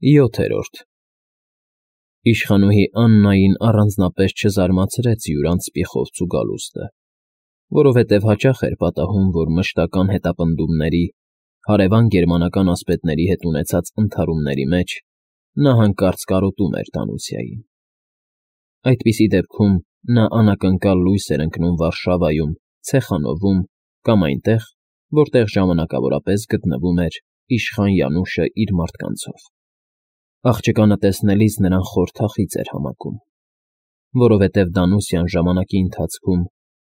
7-րդ Իշխանուհի Աննային առանձնապես չզարմացրեց յուրանց սպիխովցու գալուստը, որովհետև հաճախ էր պատահում, որ մշտական հետապնդումների, հարևան գերմանական ասպետների հետ ունեցած ընդհարումների մեջ նա հանկարծ կարոտում էր Դանուսիային։ Այդպիսի դեպքում նա անակնկալ լույս էր ընկնում Վարշավայում, Ցեխանովում կամ այնտեղ, որտեղ ժամանակավորապես գտնվում էր իշխան Յանուշը իր մարդկանցով։ Աղջկանը տեսնելիս նրան խորթախիծ էր համակում, որովհետև Դանուսիան ժամանակի ընթացքում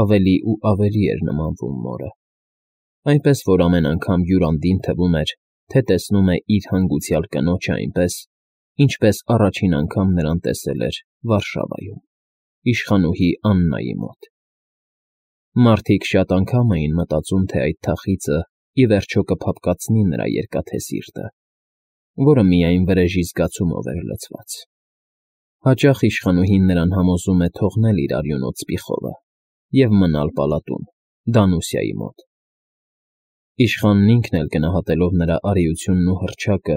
ավելի ու ավելի էր նմանվում մորը, այնպես որ ամեն անգամ Յուրանդին թվում էր, թե տեսնում է իր հանգուցյալ կնոջը այնպես, ինչպես առաջին անգամ նրան տեսել էր Վարշավայում, իշխանուհի Աննայի մոտ։ Մարդիկ շատ անգամ էին մտածում, թե այդ թախիծը ի վերջո կփափկացնի նրա երկաթե սիրտը, որը միայն վրեժի զգացումով էր լցված։ Հաճախ իշխանուհին նրան համոզում է թողնել իր արյունոտ սպիխովը և մնալ պալատում, Դանուսիայի մոտ։ Իշխանն ինքն էլ գնահատելով նրա արիությունն ու հռչակը,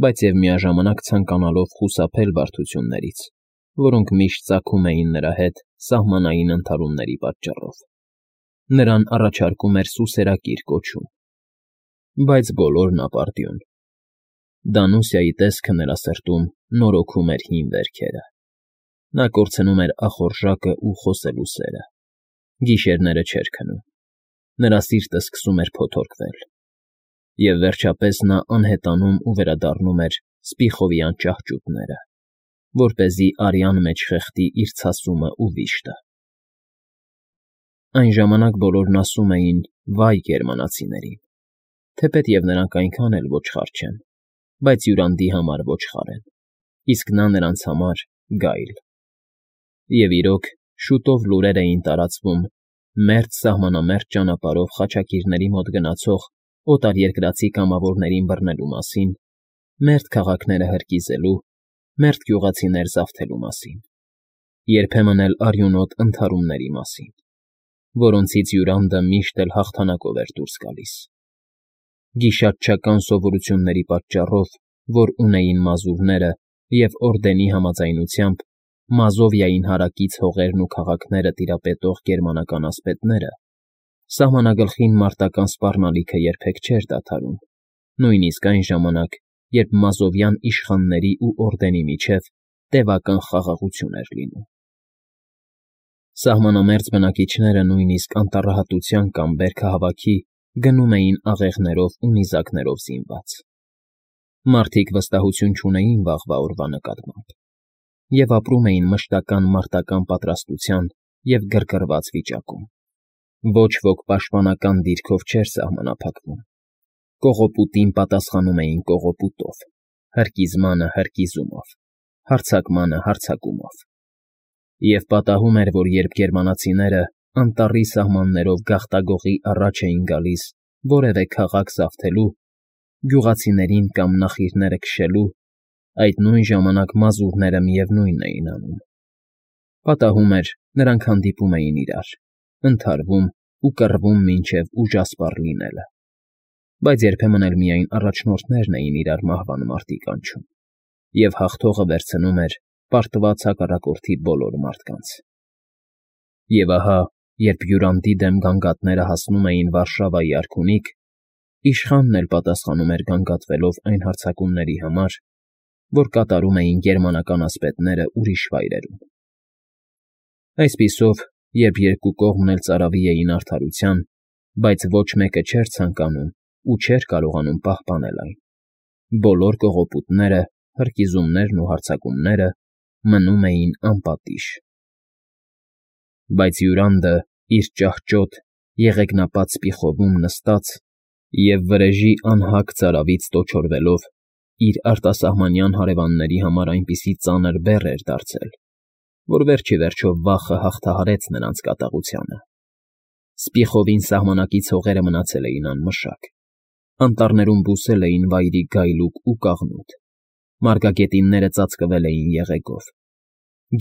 բայց և միաժամանակ ցանկանալով խուսափել բարդություններից, որոնք միշտ ծագում էին նրա հետ սահմանային ընդհարումների պատճառով, նրան առաջարկում էր սուսերակիր կոչում։ Բայց բոլորն ապարդյուն։ Դանուսիայի տեսքը նրա սրտում նորոգում էր հին վերքերը։ Նա կորցնում էր ախորժակը ու խոսելու սերը։ Գիշերները չէր քնում։ Նրա սիրտը սկսում էր փոթորկվել։ Եվ վերջապես նա անհետանում ու վերադառնում էր սպիխովյան ճահճուտները, որպեսզի արյան մեջ խեղդի իր ցասումը ու վիշտը։ Այն ժամանակ բոլորն ասում էին «վայ» գերմանացիներին, թեպետև նրանք այնքան էլ ոչխար չեն, բայց Յուրանդի համար ոչխար են, իսկ նա նրանց համար գայլ։ Եվ իրոք, շուտով լուրեր էին տարածվում մերձ սահմանամերձ ճանապարհով խաչակիրների մոտ գնացող օտարերկրացի կամավորներին բռնելու մասին, մերթ քաղաքները հրկիզելու, մերթ գյուղացիներ զավթելու մասին, երբեմն էլ արյունոտ ընդհարումների մասին, որոնցից Յուրանդը միշտ էլ հաղթանակով էր դուրս գալիս։ Գիշատչական սովորությունների պատճառով, որ ունեին մազուրները և օրդենի համաձայնությամբ Մազովիային հարակից հողերն ու քաղաքները տիրապետող գերմանական ասպետները, սահմանագլխին մարտական սպառնալիքը երբեք չէր դադարում, նույնիսկ այն ժամանակ, երբ մազովյան իշխանների ու օրդենի միջև տևական խաղաղություն էր լինում։ Սահմանամերձ բնակիչները նույնիսկ անտառահատության կամ բերքահավաքի գնում էին աղեղներով ու նիզակներով զինված։ Մարդիկ վստահություն չունեին վաղվա օրվա նկատմամբ և ապրում էին մշտական մարտական պատրաստության և գրգռված վիճակում։ Ոչ ոք պաշտպանական դիրքով չէր սահմանափակվում։ Կողոպուտին պատասխանում էին կողոպուտով, հրկիզմանը հրկիզումով, հարձակմանը հարձակումով։ Եվ պատահում էր, որ երբ գերմանացիները անտառի սահմաններով գաղտագողի առաջ էին գալիս որևէ քաղաք զավթելու, գյուղացիներին կամ նախիրները քշելու, այդ նույն ժամանակ մազուրները միևնույնն էին անում։ Պատահում էր, նրանք հանդիպում էին իրար, ընդհարվում ու կռվում մինչև ուժասպառ լինելը, բայց երբեմն էլ միայն առաջնորդներն էին իրար մահվան մարտի կանչում, և հաղթողը վերցնում էր պարտված հակառակորդի բոլոր մարդկանց։ Եվ ահա, երբ Յուրանդի դեմ գանգատները հասնում էին Վարշավայի արքունիք, իշխանն էլ պատասխանում էր գանգատվելով այն հարձակումների համար, որ կատարում էին գերմանական ասպետները ուրիշ վայրերում։ Այսպիսով, երբ երկու կողմն էլ ծարավի էին արդարության, բայց ոչ մեկը չէր ցանկանում ու չէր կարողանում պահպանել այն, բոլոր կողոպուտները, հրկիզումներն ու հարձակումները մնում էին անպատիժ։ Բայց Յուրանդը իր ճահճոտ, եղեգնապատ սպիխովում նստած և վրեժի անհագ ծարավից տոչորվելով իր արտասահմանյան հարևանների համար այնպիսի ծանր բեռ էր դարձել, որ վերջ ի վերջո վախը հաղթահարեց նրանց կատաղությանը։ Սպիխովին սահմանակից հողերը մնացել էին անմշակ, անտառներում բուսել էին վայրի գայլուկ ու կաղնուտ, մարգագետինները ծածկվել էին եղեգով։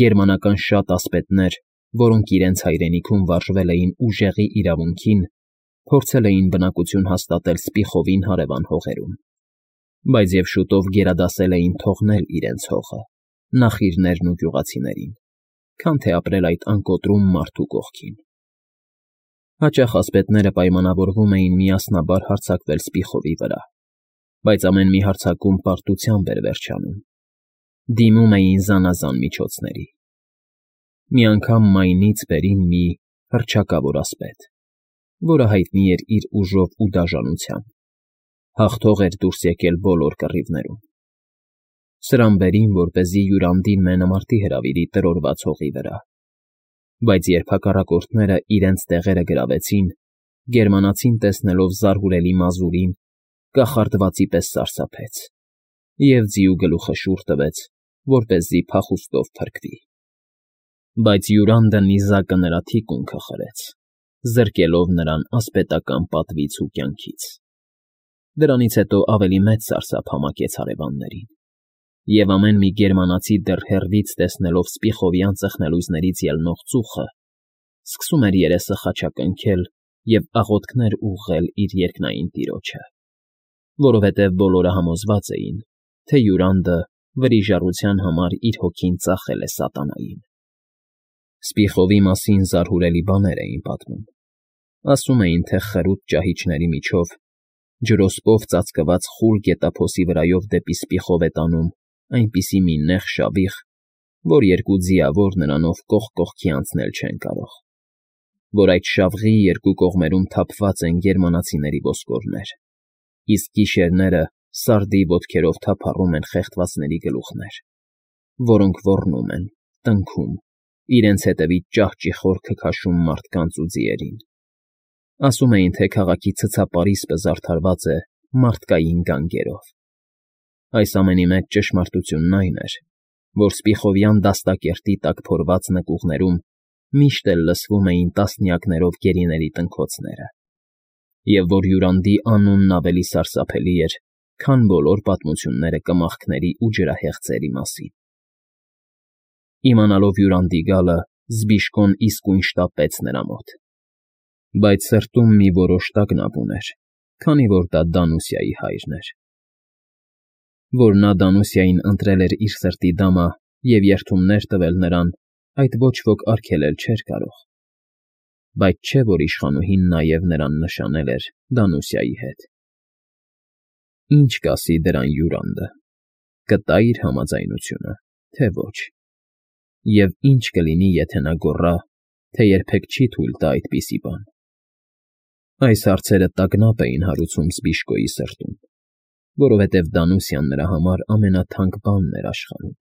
Գերմանական շատ ասպետներ, որոնք իրենց հայրենիքում վարժվել էին ուժեղի իրավունքին, փորձել էին բնակություն հաստատել Սպիխովին հարևան հողերում։ Բայց և շուտով գերադասել էին թողնել իրենց հողը, նախիրներն ու գյուղացիներին, քան թե ապրել այդ անկոտրում մարդու կողքին։ Հաճախ ասպետները պայմանավորվում էին միասնաբար հարձակվել Սպիխովի վրա, բայց ամեն մի հարձակում պարտությամբ էր վերջանում, դիմում էին զանազան միջոցների։ Մի անգամ Մայնից բերին մի հռչակավոր ասպետ, որը հայտնի էր իր ուժով ու դաժանությամբ, հաղթող էր դուրս եկել բոլոր կռիվներում։ Սրան բերին, որպեսզի Յուրանդին մենամարտի հրավիրի տրորված հողի վրա, բայց երբ հակառակորդները իրենց տեղերը գրավեցին, գերմանացին տեսնելով զարհուրելի մազուրին, կախարդվածի պես սարսափեց և ձիու գլուխը շուռ տվեց, որպեսզի փախուստով փրկվի։ Բայց Յուրանդը նիզակը նրա թիկունքը խրեց, զրկելով նրան ասպետական պատվից ու կյանքից։ Դրանից հետո ավելի մեծ սարսափ համակեց հարևաններին, և ամեն մի գերմանացի դեռ հեռվից տեսնելով Սպիխովյան ծխնելույզներից ելնող ծուխը, սկսում էր երեսը խաչակնքել և աղոթքներ ուղղել իր երկնային տիրոջը, որովհետև բոլորը համոզված էին, թե Յուրանդը վրիժառության համար իր հոգին ծախել է սատանային։ Սպիխովի մասին զարհուրելի բաներ էին պատմում։ Ասում էին, թե խրուտ ճահիճների միջով, ջրոսպով ծածկված խուլ գետափոսի վրայով դեպի Սպիխով է տանում այնպիսի մի նեղ շավիղ, որ երկու ձիավոր նրանով կողք կողքի անցնել չեն կարող, որ այդ շավղի երկու կողմերում թափված են գերմանացիների ոսկորներ, իսկ գիշերները սարդի ոտքերով թափառում են խեղդվածների գլուխներ, որոնք ոռնում են, տնքում, իրենց հետևից ճահճիխոր քքաշում մարդկանց ու ձիերին։ Ասում էին, թե քաղաքի ցցապարիսպը զարդարված է մարդկային գանգերով։ Այս ամենի մեջ ճշմարտությունն այն էր, որ Սպիխովյան դաստակերտի տակ փորված նկուղներում միշտ էլ լսվում էին տասնյակներով գերիների տնքոցները, և որ Յուրանդի անունն ավելի սարսափելի էր, քան բոլոր պատմությունները կմախքների ու ջրահեղձերի մասին։ Իմանալով Յուրանդի գալը, Զբիշկոն իսկույն շտապեց նրա մոտ, բայց սրտում մի որոշ տագնապ ուներ, քանի որ դա Դանուսիայի հայրն էր։ Որ նա Դանուսիային ընտրել էր իր սրտի դամա և երդումներ տվել նրան, այդ ոչ ոք արգելել չէր կարող, բայց չէ՞ որ իշխանուհին նաև նրան նշանել էր Դանուսիայի հետ։ Ինչ կասի դրան Յուրանդը, կտա՞ իր համաձայնությունը, թե ոչ, և ինչ կլինի, եթե նա գոռա, թե երբեք չի թույլ տա այդպիսի բան։ Այս հարցերը տագնապ էին հարուցում Զբիշկոյի սրտում, որովհետև Դանուսիան նրա համար ամենաթանկ բանն էր աշխարհում։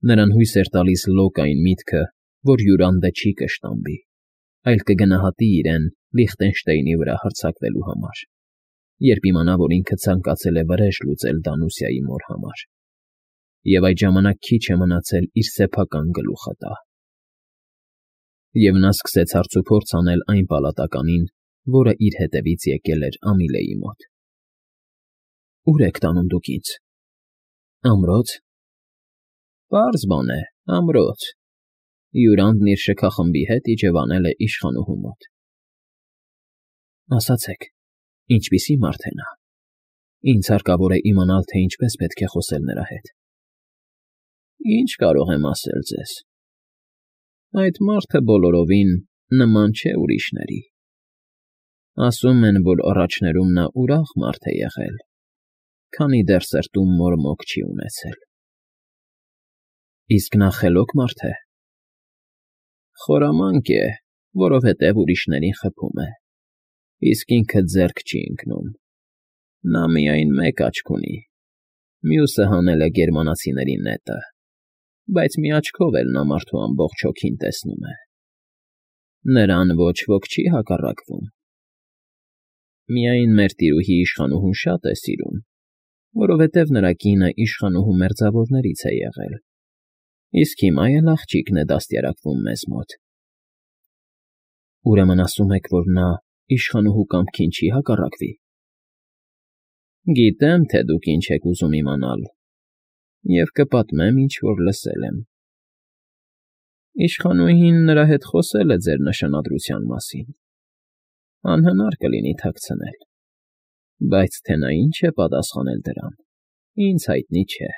Նրան հույս էր տալիս լոկ այն միտքը, որ Յուրանդը չի կշտամբի, այլ կգնահատի իրեն Լիխտենշտեյնի վրա հարձակվելու համար, երբ իմանա, որ ինքը ցանկացել է վրեժ լուծել Դանուսիայի մոր համար, և այդ ժամանակ քիչ է մնացել իր սեփական գլուխը տա։ Եվ նա սկսեց հարցուփորձ անել այն պալատականին, որը իր հետևից եկել էր Ամիլեի մոտ։ Ո՞ւր եք տանում դուք ինձ։ Ամրոց։ Պարզ բան է, ամրոց։ Յուրանդն իր շքախմբի հետ իջևանել է իշխանուհու մոտ։ Ասացեք, ինչպիսի մարդ է նա։ Ինձ հարկավոր է իմանալ, թե ինչպես պետք է խոսել նրա հետ։ Ինչ կարող եմ ասել ձեզ։ Այդ մարդը բոլորովին նման չէ ուրիշների։ Ասում են, որ առաջներում նա ուրախ մարդ է եղել, քանի դեռ սրտում մորմոք չի ունեցել։ Իսկ նա խելոք մարդ է։ Խորամանկ է, որովհետև ուրիշներին խփում է, իսկ ինքը ձեռք չի ընկնում։ Նա միայն մեկ աչք ունի, մյուսը հանել է գերմանացիների նետը, բայց մի աչքով էլ նա մարդու ամբողջ հոգին տեսնում է։ Նրան ոչ ոք չի հակառակվում։ Միայն մեր տիրուհի իշխանուհուն շատ է սիրում, որովհետև նրա կինը իշխանուհու մերձավորներից է եղել, իսկ հիմա էլ աղջիկն է դաստիարակվում մեզ մոտ։ Ուրեմն ասում եք, որ նա իշխանուհու կամքին չի հակառակվի։ Գիտեմ, թե դուք ինչ եք ուզում իմանալ, և կպատմեմ, ինչ որ լսել եմ։ Իշխանուհին նրա հետ խոսել է ձեր նշանադրության մասին։ Անհնար կլինի թաքցնել։ Բայց թե նա ինչ է պատասխանել դրան, ինձ հայտնի չէ։